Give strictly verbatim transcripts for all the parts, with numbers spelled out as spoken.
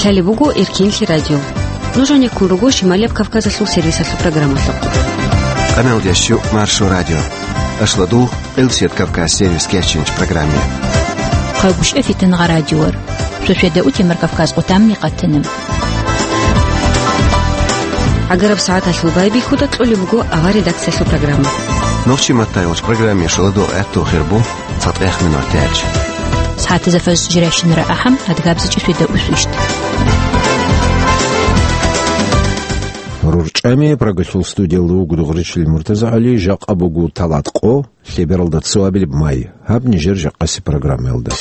Гьале буго Эркинлъи радио. Нуж гьанеккун руго Шималияб Кавказалъул сервисалъул программалъухъ. Къаналдящу Маршо радио. Ашладул Къилсият Кавказ сервис кечинч программе. Хъагушев Фитнагъа радиор. Шошеда утемар Кавказ къутамни къатана. Агараб сагӀаталъул байбихьуда кьолеб буго авар редакциялъул программа. Нохчи маттайолч программе шаладу гӀатту хирбу. Цадгъех минутач. СагӀатазда фаз жирайщинара ахӀам, адгабзичӀи свида усвищт. РурчӀами Прагалъул студиялда вуго Дугъричил МуртазагӀали, жакъа буго талат къо, лъебералда цоабилеб май. Гьаб нижер жакъаси программаялда.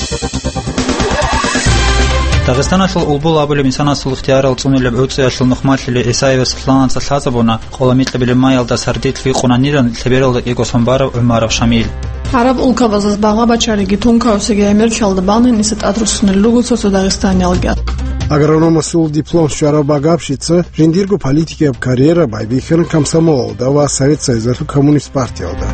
Дагъистаналъул Улбул абулеб инсанасул ихтиярал цӀунулеб гӀуцӀиялъул нухмалъили ГӀисаевас лъаланца лъазабуна, къола микьабилеб майялда сардилъ вихъунанилан лъебералда кӀиго сон барав ГӀумаров Шамил. Гьараб улкабазас багъа бачариги тункаусиги гӀемерлъиялда бани нилъеца тӀад руссунел руго цо-цо дагъистаниялги. Агрономасул диплом щварав Багапшица жиндирго политикияб карьера байбихьана комсомолалда ва Совет Союзалъул коммунист партиялда.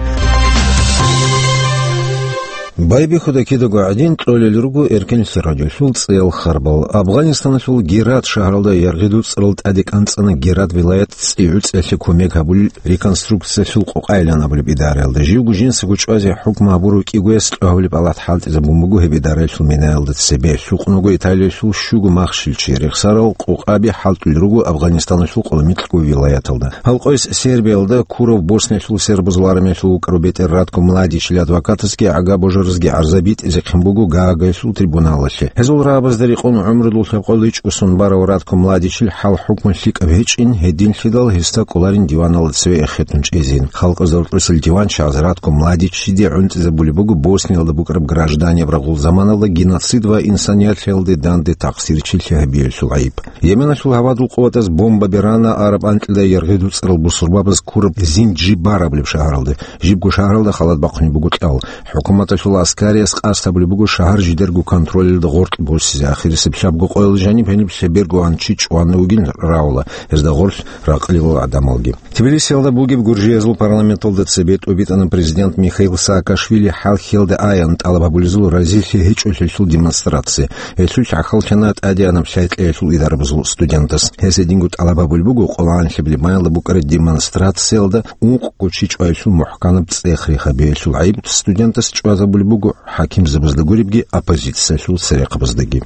Байбихьуда кидаго гӀадин кьолел руго Эркинлъи радиолъул цӀеял харбал. Афгъанистаналъул Герат шагьаралда яргъи дуцӀрал тӀаде кӀанцӀана Герат вилаят цӀи гӀуцӀиялъе кумек гьабулел реконструкциялъул къокъайилан абулеб идараялда. Живго жинсаго чӀвазе хӀукму гьабурав кӀигояс кьвагьулеб палат хӀалтӀизабун буго гьеб идараялъул минаялда цебе. Лъукъунаго Италиялъул щуго махщел чи рехсарал къокъаби хӀалтӀулел руго Афгъанистаналъул къоло микьго вилаяталда. Гьал къойс Сербиялда ккурав Босниялъул сербазул армиялъул вукӀарав бетӀер Ратко Младичил адвокатасги гӀага-божаразги гӀарза битӀизехъин буго Гаагайилъул трибуналалъе. Гьезул рагӀабазда рекъон гӀумрудул лъабкъоялда ичӀго сон барав Ратко Младичил хӀал-хӀукму лъикӀаб гьечӀин, гьединлъидал гьесда кӀоларин диваналда цеве эхетун чӀезин. Халкъазул рокьисел диванчагӀаз Ратко Младичиде гӀунтӀизабулеб буго Босниялда букӀараб гражданияб рагъул заманалда геноцид ва инсаният лъеялде данде такъсирчилъи гьабиялъул гӀайиб. Йеменалъул гьавадул къуватаз бомба берана араб анкьида яргъи дуцӀарал бусурбабаз ккураб Зинджибар абулеб шагьаралда. Жибго шагьаралда халат бахъунеб буго кьал. ХӀукуматалъул аскарияс къасд гьабулеб буго шагьар жидерго контролалда гъоркь босизе. Ахирисеб лъабго къоялда жаниб гьениб лъеберго гьанчи чӀван вугин равла, гьезда гъорлъ ракъалилал гӀадамалги. Тбилисиялда бугеб гуржиязул парламенталда цебе тӀубитӀана президент Михаил Саакашвили хӀалхьиялда аян тӀалаб гьабулезул разилъи гьечӀолъиялъул демонстрация. Гьелъул хӀахьаллъана тӀадегӀанаб лъай кьеялъул идарабазул студентас. Гьес гьединго тӀалаб гьабулеб буго къоло анлъабилеб майялда букӀараб демонстрациялда ункъго чи чӀваялъул мухӀканаб цӀех рехабиялъул гӀайиб. Студентас чӀвазабулеб буго хӀакимзабазда гуребги оппозициялъул церехъабаздаги.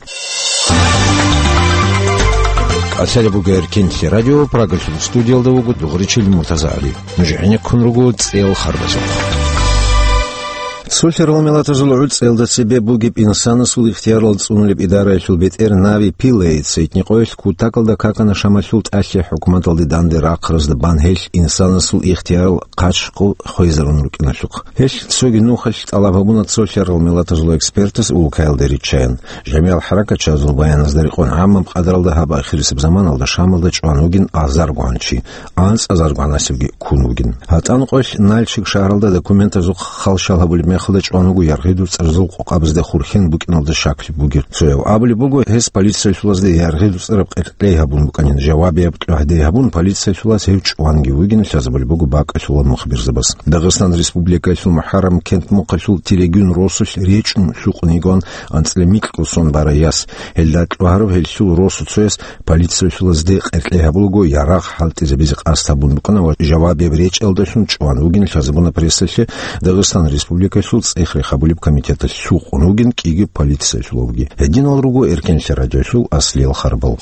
КӀалъалеб буго Эркинлъи радио, Прагалъул студиялда вуго Дугъричил МуртазагӀали. Нуж гӀенеккун руго цӀеял харбазухъ. Цолъарал миллатазул гӀуцӀиялда цебе бугеб инсанасул ихтиярал цӀунулеб идараялъул бетӀер Нави Пилейица гьитӀинкъоялъ кутакалда какана Шамалъул тӀалъи хӀукуматалде данде рахъаразда бан гьелъ инсанасул ихтиярал хъачӀ-къо хвезарун рукӀиналъухъ. Гьелъ цоги нухалъ тӀалаб гьабуна цолъарал миллатазул экспертас улкаялда риччаян. Жамигьал хӀаракатчагӀазул баяназда рекъон гӀаммаб къадаралда гьаб ахирисеб заманалда Шамалда чӀван вугин азарго гьанчи, анцӀазарго гьанасевги ккун вугин. ГьатӀан къоялъ Нальчик шагьаралда документазухъ халщал гьабулеб мехалда чӀван вуго яргъи дуцӀарзул къокъабазда хурхен букӀиналда щаклъи бугев. Цояв абулеб буго, гьес полициялъулазда яргъи дуцӀараб къеркьей гьабун букӀанин, жавабияб кьвагьдей гьабун, полициялъулаз гьев чӀванги вугин лъазабулеб буго бакӀалъулаб мухбирзабаз. Дагъистан Республикалъул МухӀаррам кент-мухъалъул Терегуьн росулъ речӀчӀун лъукъун йигоан анцӀила микьго сон барай яс. Гьелда кьвагьарав гьелъул росуцояс полициялъулазде къеркьей гьабулаго ярагъ хӀалтӀизабизе къасд гьабун букӀана ва жавабияб речӀалдалъун чӀван вугин лъазабуна прессалъе, Дагъистан Республикалъул цӀех рехабулеб комитеталъ лъукъун вугин кӀиги полициялъулавги. Гьединал руго Эркенлъи радиолъул аслиял харбал.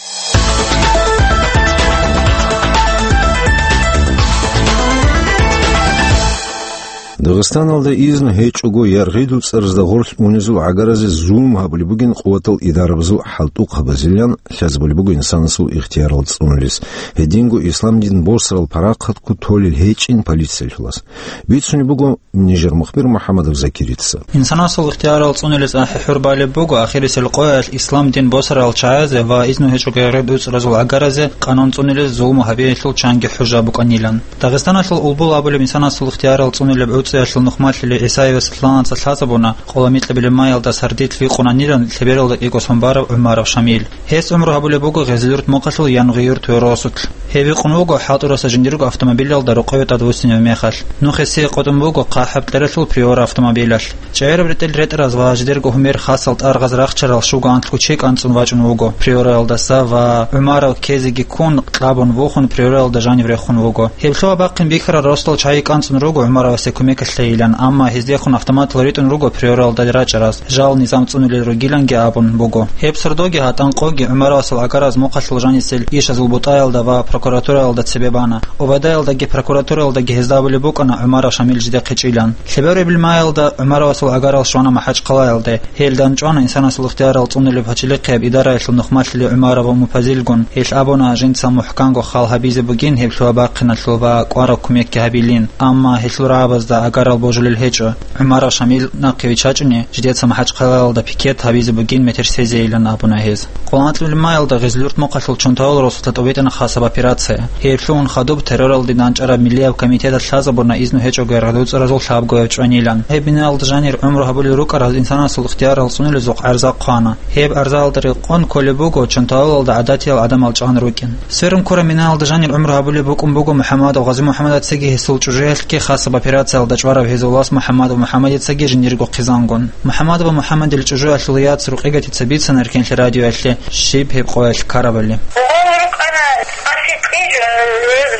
Дагъистаналда изну гьечӀого яргъи дуцӀарзда гъорлъ унезул гӀагаразе зулму гьабулеб бугин къуватал идарабазул хӀалтӀухъабазилан лъазабулеб буго инсанасул ихтиярал цӀунулес. Гьединго ислам дин босарал парахъатго толел гьечӀин полициялъулас. Бицунеб буго нижер мухбир МухӀаммадов Закирица. Инсанасул ихтиярал цӀунулес ахӀи хӀур балеб буго ахирисел къоялъ ислам дин босарал чагӀазе ва изну гьечӀого яргъи дуцӀразул гӀагаразе къанун цӀунулес зулму гьабиялъул чанги хӀужа букӀанилан. Дагъистаналъул Улбул абулеб инсанасул ихтиярал цӀунулеб гӀуцӀи Цоялъул нухмалъулев ГӀисаевас лъанаца лъазабуна, къола микьабилеб маялда сардилъ викъунанилан лъебералда кӀиго сон барав ГӀумаров Шамил. Гьес гӀумру гьабулеб буго Гъезлъюрт мухъалъул Янгъиюрт гӀоросулъ. Гьев викъун вуго хӀалтӀураса жиндирго автомобилалда рокъове тӀадвуссинев мехалъ. Нух гьесие къотӀун буго хъахӀаб кьералъул Приора автомобилалъ. ЧӀегӀераб ретӀел ретӀараз ва жидерго гьумер хасал тӀаргъаз рахчарал щуго анлъго чи кӀанцӀун вачӀун вуго Приораялдаса ва ГӀумаров ккезеги ккун, кьабун вухун, Приораялда жанив рехун вуго. Гьеб лъугьа-бахъин бихьарал росдал чагӀи кӀанцӀун руго ГӀумаровасе кумекалъейилан, амма гьездехун автоматал ритӀун руго Приораялда рачӀараз, жал низам цӀунулел ругиланги абун буго. Гьеб сордоги гьатӀан къоги ГӀумаровасул гӀагараз мухъалъул жанисел ишазул бутӀаялда ва прокуратураялда цебе бана. Обадаялдаги прокуратураялдаги гьезда абулеб букӀана ГӀумаров Шамил жидехъе чӀилан. Лъеберабилеб маялда ГӀумаровасул гӀагарал щвана МахӀачхъалаялде. Гьел данчӀвана инсанасул ихтиярал цӀунулеб пачалихъияб идараялъул нухмалъулев ГӀумаров ва Мупазилгун. Гьелъ абуна, жинца мухӀканго хал гьабизе бугин гьеб лъугьа-бахъиналъул ва кӀвараб кумекги гьабилин, амма гьелъул рагӀабазда гӀагарал божулел гьечӀо. ГӀумаров Шамил нахъе виччачӀони, жидеца МахӀачхъалаялда пикет гьабизе бугин метер сезейилан абуна гьез. Къоло анлъабилеб маялда Гъезлъюрт мухъалъул Чонтавал росулъа тӀобитӀана хасаб операция. Гьеб лъугьун хадуб терроралде данчӀараб миллияб комитеталъ лъазабуна изну гьечӀого яргъадуцӀаразул лъабгояв чӀванилан. Гьеб биналда жанир гӀумру гьабулел рукӀарал инсанасул ихтиярал цӀунулезухъ гӀарза хъвана. Гьеб гӀарзаялда рекъон кколеб буго Чонтавалалда гӀадатиял гӀадамал чӀван рукӀин. Сверун ккураб биналда жанир гӀумру гьабулеб букӀун буго МухӀамадов ГъазимухӀаммадацаги гьесул чӀужуялъги хасаб операциялда чӀварав гьезул вас МухӀамадов МухӀаммадицаги жиндирго хъизангун. МухӀаммадова МухӀаммадил чӀужуялъул яц Рукъигатица бицана Эркенлъи радиоялъе щиб гьеб къоялъ ккарабали. Гъов рукӀана АсикӀижун,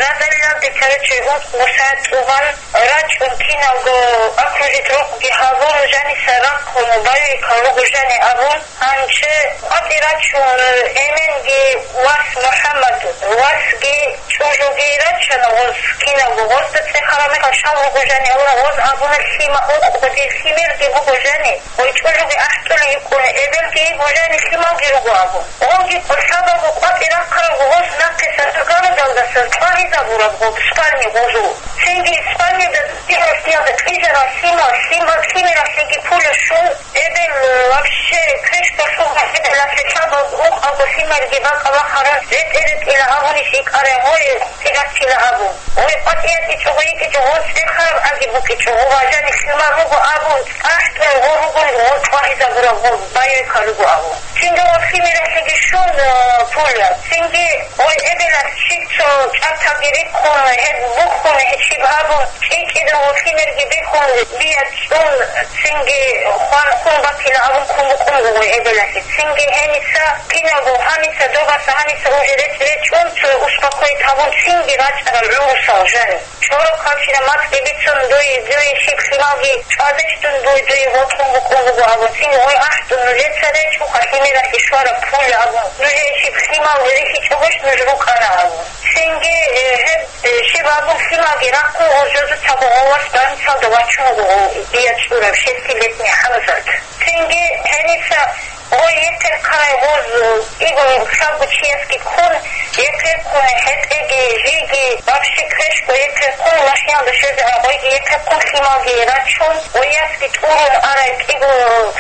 радалилалде, короче, гьуцӀ-бусад цӀугъан рачӀун киналго окружить рукъги гьабун, жаниса рахъун, байбихьун руго жани абун. Гьанже къватӀи рачун, эменги вас МухӀаммад, васги чӀужуги рачана гъоз киналго, гъозда цӀехараб мехалъ щал руго жани абуна, гъоз абуна, лъима-, ункъго дир лъимерги буго жани, гъой чӀужуги ахӀтӀулей йикӀун, эбелги йиго жани, лъималги руго абун. Гъоги къо-, лъабаго къватӀи рахъарабго гъоз нахъеса гарадалдаса тӀагьизабураб гъоб спальни гъозул. Цинги спальнида диралъиялда кьижарал лъимал, лъимал лъимералъеги пуля щун, эбел, э, вообще крышка лъугьа, эбелалъе лъабаб ункъабго лъимерги бакӀа бахаран ретӀе-ретӀила абунищ икӀарай гъой, къватӀиратила абун. Гъой къватӀиятӀичӀого йикӀичӀо, гъоз цӀехараб аги букӀичӀо, гъо важани лъимал руго абун, цӀахӀдул гъо ругун, гъо тӀагьизабураб гъо байбихьа руго абун. Цинги гъо лъимералъеги щун, э, пуля. Цинги гъой эбелалъ щиб цо чӀаталги риххун, гьеб бухьун, гьечиб гьабун, кӀи-кӀида гъо лъимерги бихьун, бия цӀун, цинги хван хун батила абун ккун букӀун буго эбелалъе. Цинги гьениса киналго гьаниса добаса гьаниса уже рецӀ речӀун, цо успокоить гьабун, цинги рачӀарал гӀурусал жани. ЧӀорохъанчина мацӀги бицун, дуе, дуе щиб лъималги чӀвадищ дун, дуе, дуе вокьун букӀун буго абун, цинги гъой ахӀдун, нужеца речӀуха лъимералъе щвараб пуля абун, нужее щиб лъимал рихьичӀогойищ нуж рукӀана абун. Цинги, э, гьеб, э, щиб абун лъималги рахъун, гъо жозуцаго гъо вас больницалда вачун вуго, дия чӀурав шестилетний ХӀамзат. Цинги гьениса гъой ехъерхъарай гъоз, э, кӀиго лъабго чиясги ккун, ехъерхъун, хӀетӀеги, жиги, вообще квешго ехъерхъун, машиналда щвезегӀан гъойги ехъерхъун, лъималги рачун, гъой ясги тӀурун арай кӀиго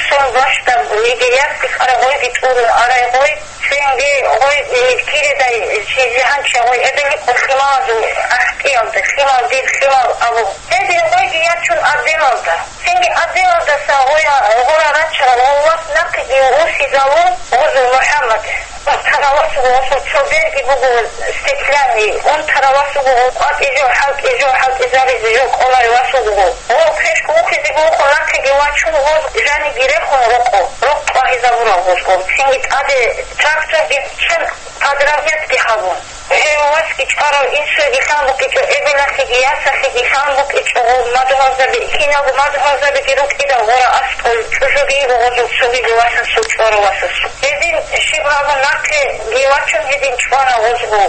сон бащдаб, егер ясги ккарай гъойги тӀурун арай гъой. Цинги гъой, э, киридай, чи жигьанчи гъой эбели къо лъималазул ахӀтӀиялда, лъимал дир, лъимал абу. Гьедин гъойги ячун отделалда. Цинги отделалдаса гъоя, гъора рачарал гъо вас нахъеги урсизавун гъозул МухӀаммад. Унтарав вас вуго, гъосул цо берги буго стеклянный, унтарав вас вуго, гъо къватӀи жо, хӀалтӀи жо, хӀалтӀизаризе жо кӀоларев вас вуго. Гъо квешго ухизе гьухъо нахъеги вачун гъоз жаниги рехун рокъо, рокъ тӀагьизабурав гъозго. Цинги тӀаде тракторги чан подравнятги гьабун. Гьев васги чӀварав инсуеги лъан букӀичӀо, эбелалъеги ясалъеги лъан букӀичӀо, гъо мадугьалзаби, киналго мадугьалзабиги рукӀидал гъора аскӀов чӀужуги йиго гъозул цогизе васасул чӀварав васасул. Гьедин щиб гьабун нахъеги вачун гьедин чӀвана гъозго.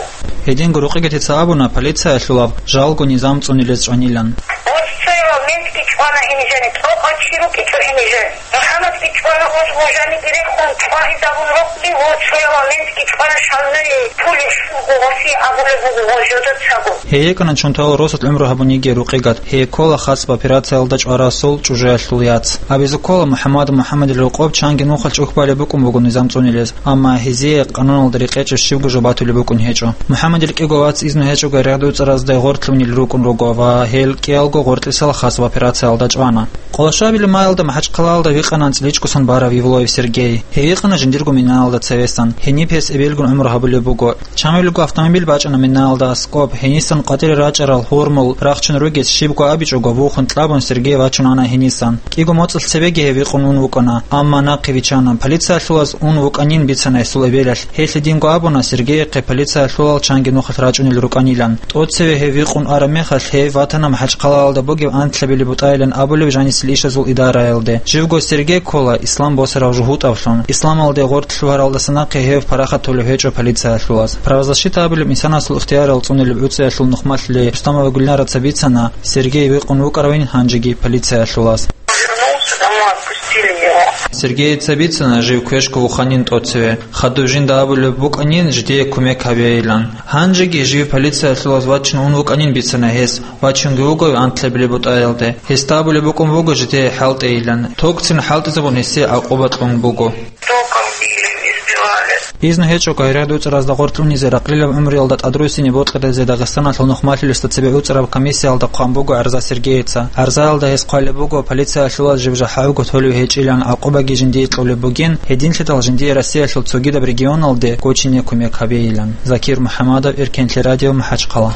Гьединго Рукъигатица абуна полициялъулаб жалго низам цӀунилез чӀванилан. Гъоз цояв ментги чӀвана гьенижани, тӀокӀав чи рукӀичӀо гьенижани. МухӀаммадги чӀвана гъоз Гъожани герехун чӀвагӀизабун рукӀни, гъо цояла ментги чӀвара шалмери, пулес гъо гъоси абулеб буго гъо жодацаго. Гьей йикӀана чунтал росулъ гӀумру гьабун йигей рукъигат, гьей ккола хасаб операциялда чӀварасул чӀужуялъул яц. Абизе ккола, МухӀаммад МухӀаммадил рокъоб чанги нухалъ чӀухь балеб букӀун буго низам цӀунилез, амма гьезие къануналда рекъечӀеб щибго жо батулеб букӀун гьечӀо. МухӀаммадил кӀиго вац изну гьечӀого рагӀдуцӀаразда гъортлъунел рукӀун руго ва гьел кӀиялго гъортлъисал хасаб операциялда чӀвана. Къолошабилеб майалда МахӀачхъалаялда вихъана анцӀличӀгосан барав Евлоев Сергей. Гьей вихъана жиндирго минаялда цевесан. Гьениб гьес эбелгун гӀумру гьабулеб буго. Чамилго автомобиль бачӀана минаялда аскӀоб, гьенисан къватӀире рачӀарал гьурмул, рахчун ругес щибго абичӀого, вухун кьабун Сергей вачун ана гьенисан. КӀиго моцӀалъ цебеги гьев вихъун ун вукӀана, амма нахъе виччана. Полициялъулаз ун вукӀанин бицана гьесул эбелалъ. Гьелъ гьединго абуна, Сергейихъе полициялъулал чанги нухалъ рачӀунел рукӀанилан. ТӀоцеве гьев вихъун араб мехалъ, гьев ватана МахӀачхъалаялда бугеб анлъабилеб бутӀайилан абулеб жанисел ишазул идараялде. Живго Сергей ккола Ислам босарав жугьутӀавлъун. Исламалде гъорт лъугьаралдаса нахъе гьев парахат толев гьечӀо полициялъулаз. Правозащита абулеб инсанасул ихтиярал цӀунилеб гӀуцӀиялъул нухмалъи Рустамова Гульнараца бицана, Сергей вихъун вукӀаравин гьанжеги полициялъулаз. Сергейица бицана, жив квешго вуханин тӀоцеве. Хадув жинда абулеб букӀанин, жидее кумек гьабейилан. Гьанжеги жив полициялъулаз вачин ун вукӀанин бицана гьес, вачунги вуго антлъабилеб бутӀаялде. Гьесда абулеб букӀун буго жидее хӀалтӀейилан. Токцин хӀалтӀизабун гьесие гӀакъуба кьун буго. Током били, избивали. Изну гьечӀого гьерад уцӀаразда гъортлъунизе ракълилаб гӀумруялда тӀадруссине бокьаразе Дагъистаналъул нухмалъулесда цебе уцӀараб комиссиялда хъван буго гӀарза Сергейица. ГӀарзаялда гьес хъвалеб буго, полициялъулаз жив жахӀалго толев гьечӀилан, гӀакъубаги жиндие кьолеб бугин, гьединлъидал жиндие Россиялъул цогидаб регионалде гочине кумек гьабейилан. Закир МухӀамадов, Эркенлъи радио, МахӀачхъала.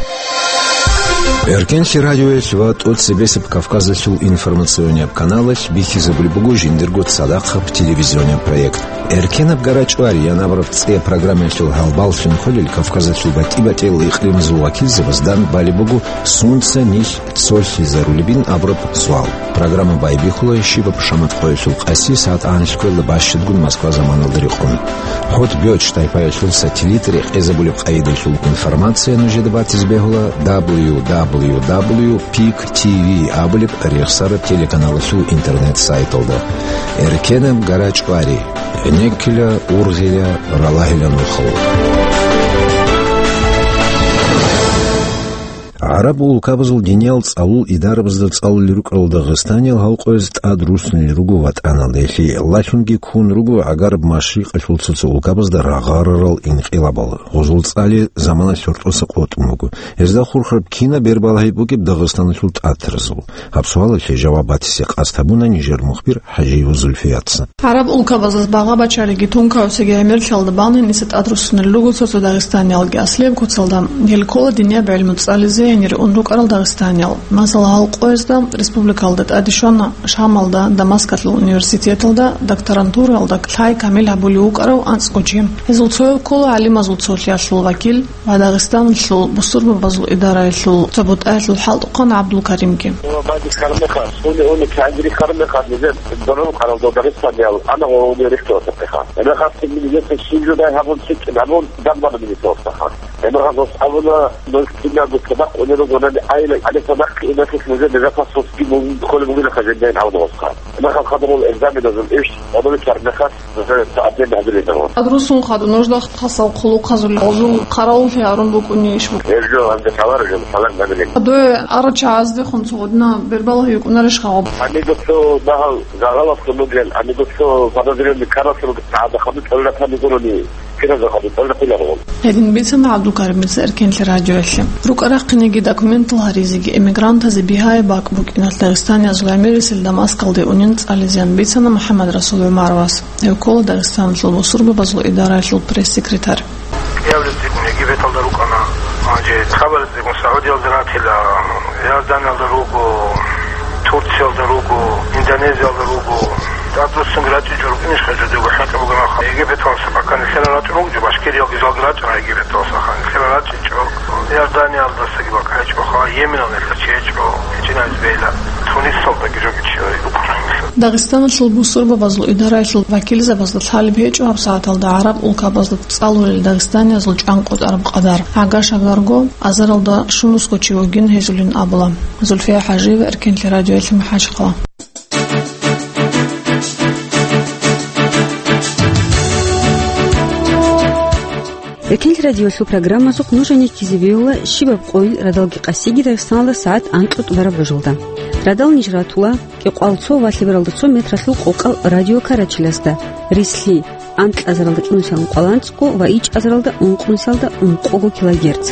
Эркенлъи радиоялъ ва тӀоцебесеб Кавказалъул информационияб каналалъ бихьизабулеб буго жиндирго цадахъаб телевизионияб проект. «Эркенаб гара чӀвари» ян абураб цӀе программаялъул гьалбаллъун хвелил Кавказалъул батӀи-батӀиял икълимазул вакилзабазда балеб буго сунца нилъ цолъизарулебин абураб суал. Программа байбихьула щибаб шамат къоялъул къаси сагӀат анлъго ккола бащадгун Москва заманалда рекъон. ХӀотӀ Бёч тайпаялъул сателлит рекъезабулеб къайдалъул информация нужеда батизе бегьула W W W пик Т В абулеб рехсараб телеканалалъул интернет-сайталда. Эркенаб гара чӀвари. ГӀенеккила, ургъила, ралагьила нухал. ГӀараб улкабазул диниял цӀалул идарабазда цӀалулел рукӀарал дагъистаниял гьал къояз тӀад руссунел руго ватӀаналда. Гьелъие лъалъунги ккун руго гӀагараб машрикъалъул цо-цо улкабазда рагъарарал инкъилабал. Гъозул цӀали замана лъуртӀоса къотӀун буго. Гьезда хурхараб кинаб бер балагьи бугеб Дагъистаналъул тӀатаразул? Гьаб суалалъе жаваб батизе къасд гьабуна нижер мухбир ХӀажиева Зульфияца. ГӀараб улкабазда багъа-бачариги тункаусиги гӀемерлъиялда бан гьениса тӀад руссунел руго цо-цо дагъистаниялги. Аслияб куцалда, гьел ккола динияб гӀилму цӀализе гьенире ун рукӀарал дагъистаниял. Масала, гьал къоязда республикалда тӀаде щвана Шамалда, Дамаскалъул университеталда докторантураялда лъай камил гьабулев вукӀарав анцӀго чи. Гьезул цояв ккола гӀалимазул цолъиялъул вакил ва Дагъистаналъул бусурбабазул идараялъул цо бутӀаялъул хӀалтӀухъан ГӀабдулкаримги. Ва бадис кармеха, уни, уни, кандри кармеха, нижер дорол къаралдо Дагъистаниял, ана ва уни рехтоса пеха. Ана хасти мини есе шин жудай гьабун, чикин гьабун, дамбана мини тоса ха. Ана хасос абуна, нух кинабу табакъ уни ругонани айла, али табакъ инахис нижер нижа хасос ки мун холе мугина хажен дайн гьавна васха. Ана хас хадамул экзаменазул иш, абуна кармеха, Гьезда тӀадаб гьабилеб гьабун. Адрусун хадуб нужда хасал хъулухъазул гъозул хъаравуллъи гьарун букӀунищ? Гьеб жо гьанже хабар жо, салам гьабилеб. Дой арачагӀаздехун цо гъудна бербалгьи йукӀунарищ хагъаб? Амиго цо дагьал загъалаблъун бугел, амиго цо подозренный каралъун бугел, гӀада хадуб кьолла тамигурони, киразда хадуб кьолла хъулагъун. Гьедин бицана ГӀабдулкаримица Эркенлъи радиоялъе. РукӀа-рахъинеги документал гьаризеги эмигрантазе бигьаяб бакӀ букӀиналъ дагъистаниязул гӀемерисел Дамаскалде унин цӀализеян бицана МухӀаммадрасул ГӀумаровас. Гьев ккола Дагъистаналъул бусурбабазул идараялъул пресс-секретарь. Явлеб цӀикӀкӀун Египеталда рукӀана. Гьанже хабаралда цӀикӀкӀун Саудиялда ратила, Иорданиялда руго, Турциялда руго, Индонезиялда руго. ТӀадруссунги рачӀинчӀо рукӀинищха жо, дего хӀинкъи бугонаха. Египеталдаса пока нилъера рачӀун руго жо, башкириялги жалги рачӀана Египеталдаса, нилъера рачӀинчӀо. Иорданиялдасаги бакӀ гьечӀоха, Йеменалда нилъер чи гьечӀо, гьечӀинайз бейла. Тунисалдаги жоги чи рукӀана нилъер. Дагъистаналъул бусурбабазул идараялъул вакилзабазда лъалеб гьечӀо гьабсагӀаталда гӀараб улкабазда цӀалулел дагъистаниязул чӀанкъотӀараб къадар. Гьага-шагарго азаралда щунусго чи вугин гьезулин абула. Зульфия ХӀажиева, Эркенлъи радиоялъе, МахӀачхъала. Эркенлъи радиолъул программазухъ нуж гьанив чизе виола щибаб къойил радалги къасиги Дагъистаналда сагӀат анкьго тӀубараб божалда. Радал ниж ратула кӀикъоялда цо ва лъебералда цо метралъул къокъал радиокарачилазда, рислъи, анкьазаралда чӀунусиялда ункъоялда анцӀго ва ичӀазаралда ункънусиялда ункъого килогерц.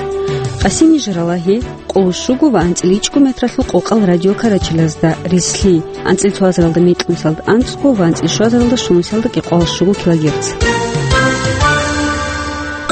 Къасин ниж рала гье, къоло щуго ва анцӀила ичӀго метралъул къокъал радиокарачилазда, рислъи, анцӀила цоазаралда мекьнусиялда анцӀго ва анцӀила щуазаралда щунусиялда кӀикъоялда щуго килогерц.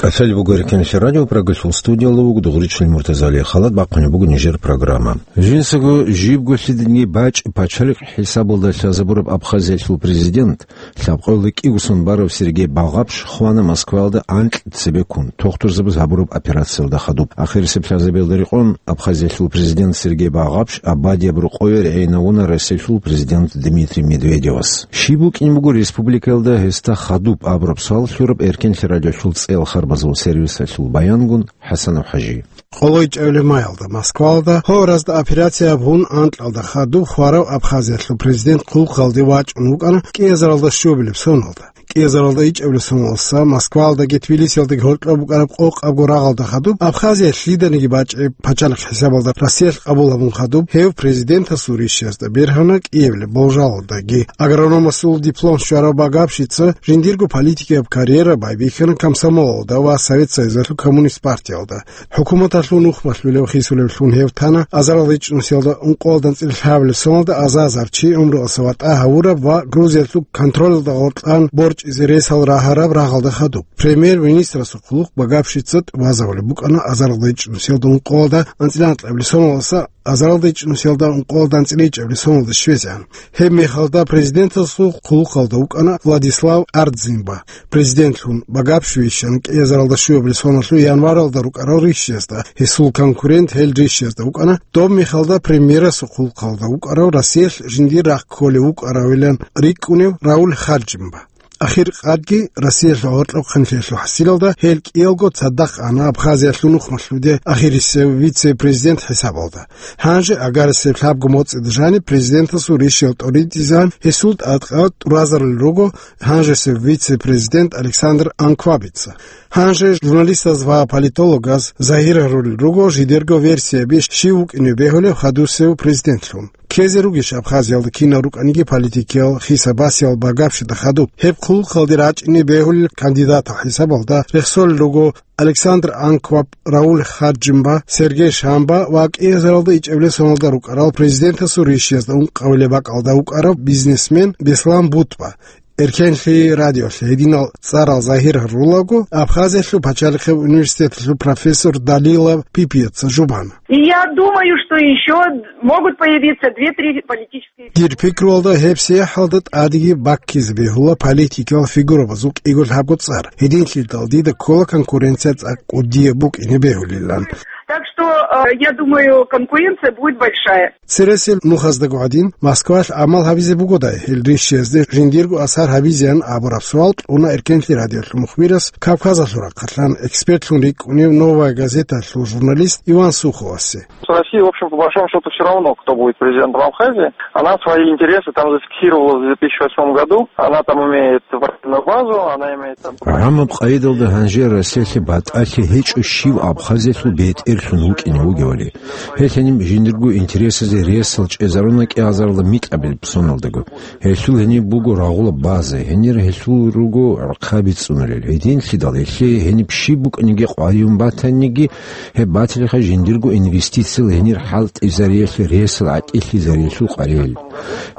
КӀалъалеб буго Эркенлъи радио, программалъул студиялда вуго Дугъричилан Муртазали. Халат бахъунеб буго нижер программа. Жинцаго жибго лъиданиги бачӀи пачалихъ хӀисабалда лъазабураб Абхазиялъул президент, лъабкъоялда кӀиго сон барав Сергей Багапш хвана Москваялда анкь цебеккун, тохтурзабаз гьабураб операциялда хадуб. Ахирисеб лъазабиялда рекъон, Абхазиялъул президент Сергей Багапш абадияб рокъове регӀинавуна Россиялъул президент Дмитрий Медведевас. Щиб букӀин буго республикаялда гьесда хадуб абураб суал лъураб Эркенлъи радиолъул цӀеял харбазул сервисалъул баянгун ХӀасанов ХӀажи. Къоло ичӀабилеб маялда Москваялда гьоразда операция гьабун анкьалда хадуб хварав Абхазиялъул президент хъулухъалде вачӀун вукӀана кӀиазаралда щуабилеб соналда. КӀиазаралда ичӀабилеб соналдаса Москваялдаги Тбилисиялдаги гьоркьоб букӀараб къокъабго рагъалда хадуб Абхазия лъиданиги бачӀи пачалихъ хӀисабалда Россиялъ къабул гьабун хадуб гьев президентасул ришшизда бергьана кӀиабилеб болжалалдаги. Агрономасул диплом щварав Багапшица жиндирго политикияб карьера байбихьана комсомолалда ва Совет Союзалъул коммунист партиялда. ХӀукуматалъул нухмалъулев хисулевлъун гьев тана азаралда ичӀнусиялда ункъоялда анцӀила лъабабилеб соналда азазарчи гӀумруялъа ватӀа гьавураб ва Грузиялъул контролалда гъоркьан борчӀизе ресал рагьараб рагъалда хадуб. Премьер-министрасул хъулухъ Багапшица тӀубазабулеб букӀана азаралда ичӀнусиялда ункъоялда анцӀила анкьабилеб соналдаса азаралда ичӀнусиялда ункъоялда анцӀила ичӀабилеб соналда щвезегӀан. Гьеб мехалда президентасул хъулухъалда вукӀана Владислав Ардзинба. Президентлъун Багапш вищана кӀиазаралда щуабилеб соналъул январалда рукӀарал ришшизда, гьесул конкурент гьел ришшизда вукӀана доб мехалда премьерасул хъулухъалда вукӀарав, Россиялъ жиндир рахъ кколев вукӀаравилан рикӀкӀунев Рауль Хаджимба. Ахир къадги Россиялъул гьоркьоб хъанлъиялъул хӀасилалда гьел кӀиялго цадахъ ана Абхазиялъул нухмалъуде ахирисев вице-президент хӀисабалда. Гьанже агарасеб лъабго моцӀида жаниб президентасул ришшиял тӀоритӀизегӀан гьесул тӀадкъа тӀуразарулел руго гьанжесев вице-президент Александр Анквабица. Гьанже журналистаз ва политологаз загьир гьарулел руго жидерго версияби щив вукӀине бегьулев хадусев президентлъун. Ккезе ругищ Абхазиялда кинал рукӀаниги политикиял хиса-басиял Багапшида хадуб? Гьеб хъулухъалде рачӀине бегьулел кандидатал хӀисабалда рехсолел руго Александр Анкваб, Рауль Хаджимба, Сергей Шамба ва кӀиазаралда ичӀабилеб соналда рукӀарал президентасул ришшизда ункъабилеб бакӀалда вукӀарав бизнесмен Беслан Бутба. Эркенлъи радиолъе гьединал цӀарал загьир гьарулаго, Абхазиялъул пачалихъеб университеталъул профессор Далила Пипиеца жубана. И я думаю, что ещё могут появиться две-три политические Дир пикруялда гьеб сахӀалда тӀадеги баккизе бегьула политикиял фигурабазул кӀиго-лъабго цӀар. Гьединлъидал дида ккола конкуренция цӀакъ кӀудияб букӀине бегьулилан. Так что, э, я думаю, конкуренция будет большая. Цересел нухаздаго гӀадин, Москвалъ гӀамал гьабизе бугодай гьел ришшизде жиндирго асар гьабизеян абураб суал кьуна Эркенлъи радиолъул мухбирас Кавказалъул рахъалъан экспертлъун рикӀкӀунев «Новая газеталъул» журналист Иван Суховасе. С Россией, в общем, по большому счету, всё равно, кто будет президентом Абхазии. Она свои интересы там зафиксировала в две тысячи восьмом году. Она там имеет военную базу, она имеет там ГӀамаб къайдалда гьанже Россиялъе батӀалъи гьечӀо щив Абхазиялъул бетӀерлъун вукӀине вугевали. Гьелъ гьениб жиндирго интересазе ресал чӀезаруна кӀиазаралда микьабилеб соналдаго. Гьелъул гьениб буго рагъула база, гьенир гьелъул руго гӀурхъаби цӀунулел. Гьединлъидал гьелъие гьениб щиб букӀаниги къваригӀун батаниги, гьеб батилаха жиндирго инвестициял гьенир хӀалтӀизариялъе ресал гӀатӀилъизариялъул къваригӀел.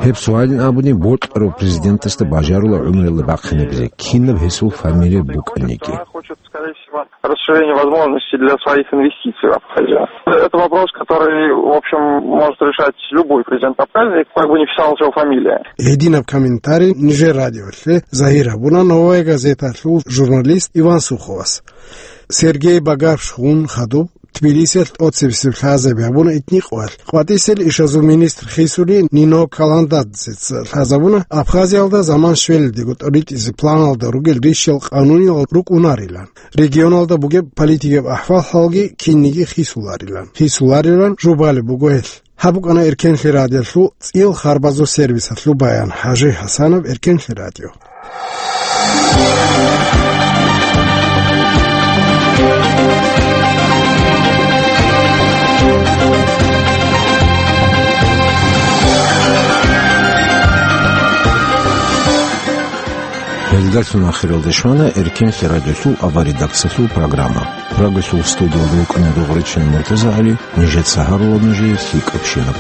Гьеб суалин абуни бокьарав президентасда бажарула гӀумруялда бахъинабизе, кинаб гьесул фамилия букӀаниги. Расширение возможностей для своих инвестиций в Абхазию. Это вопрос, который, в общем, может решать любой президент Абхазии, как бы не писалась его фамилия. Гьединаб комментарий нижер радиолъе загьир гьабуна «Новая газеталъул» журналист Иван Суховас. Сергей Багапшгун хадуб Тбилисиялъ тӀоцебесеб лъазаби гьабуна итникъоялъ. КъватӀисел ишазул министр хисули Нино Каландадзеца лъазабуна Абхазиялда заман щвелалдего тӀоритӀизе планалда ругел ришшал къануниял рукӀунарилан. Регионалда бугеб политикияб ахӀвал-хӀалги кинниги хисуларилан. Хисуларилан жубалеб буго гьелъ. Гьаб букӀана Эркенлъи радиолъул цӀил харбазул сервисалъул баян. ХӀажи ХӀасанов, Эркенлъи радио. Гьелдалъун ахиралде щвана Эркенлъи радиолъул аваредакциялъул программа. Прагалъул студиялда вукӀана Дугъричин МуртазагӀали, нижеца гьарула нужее лъикӀабщинаб.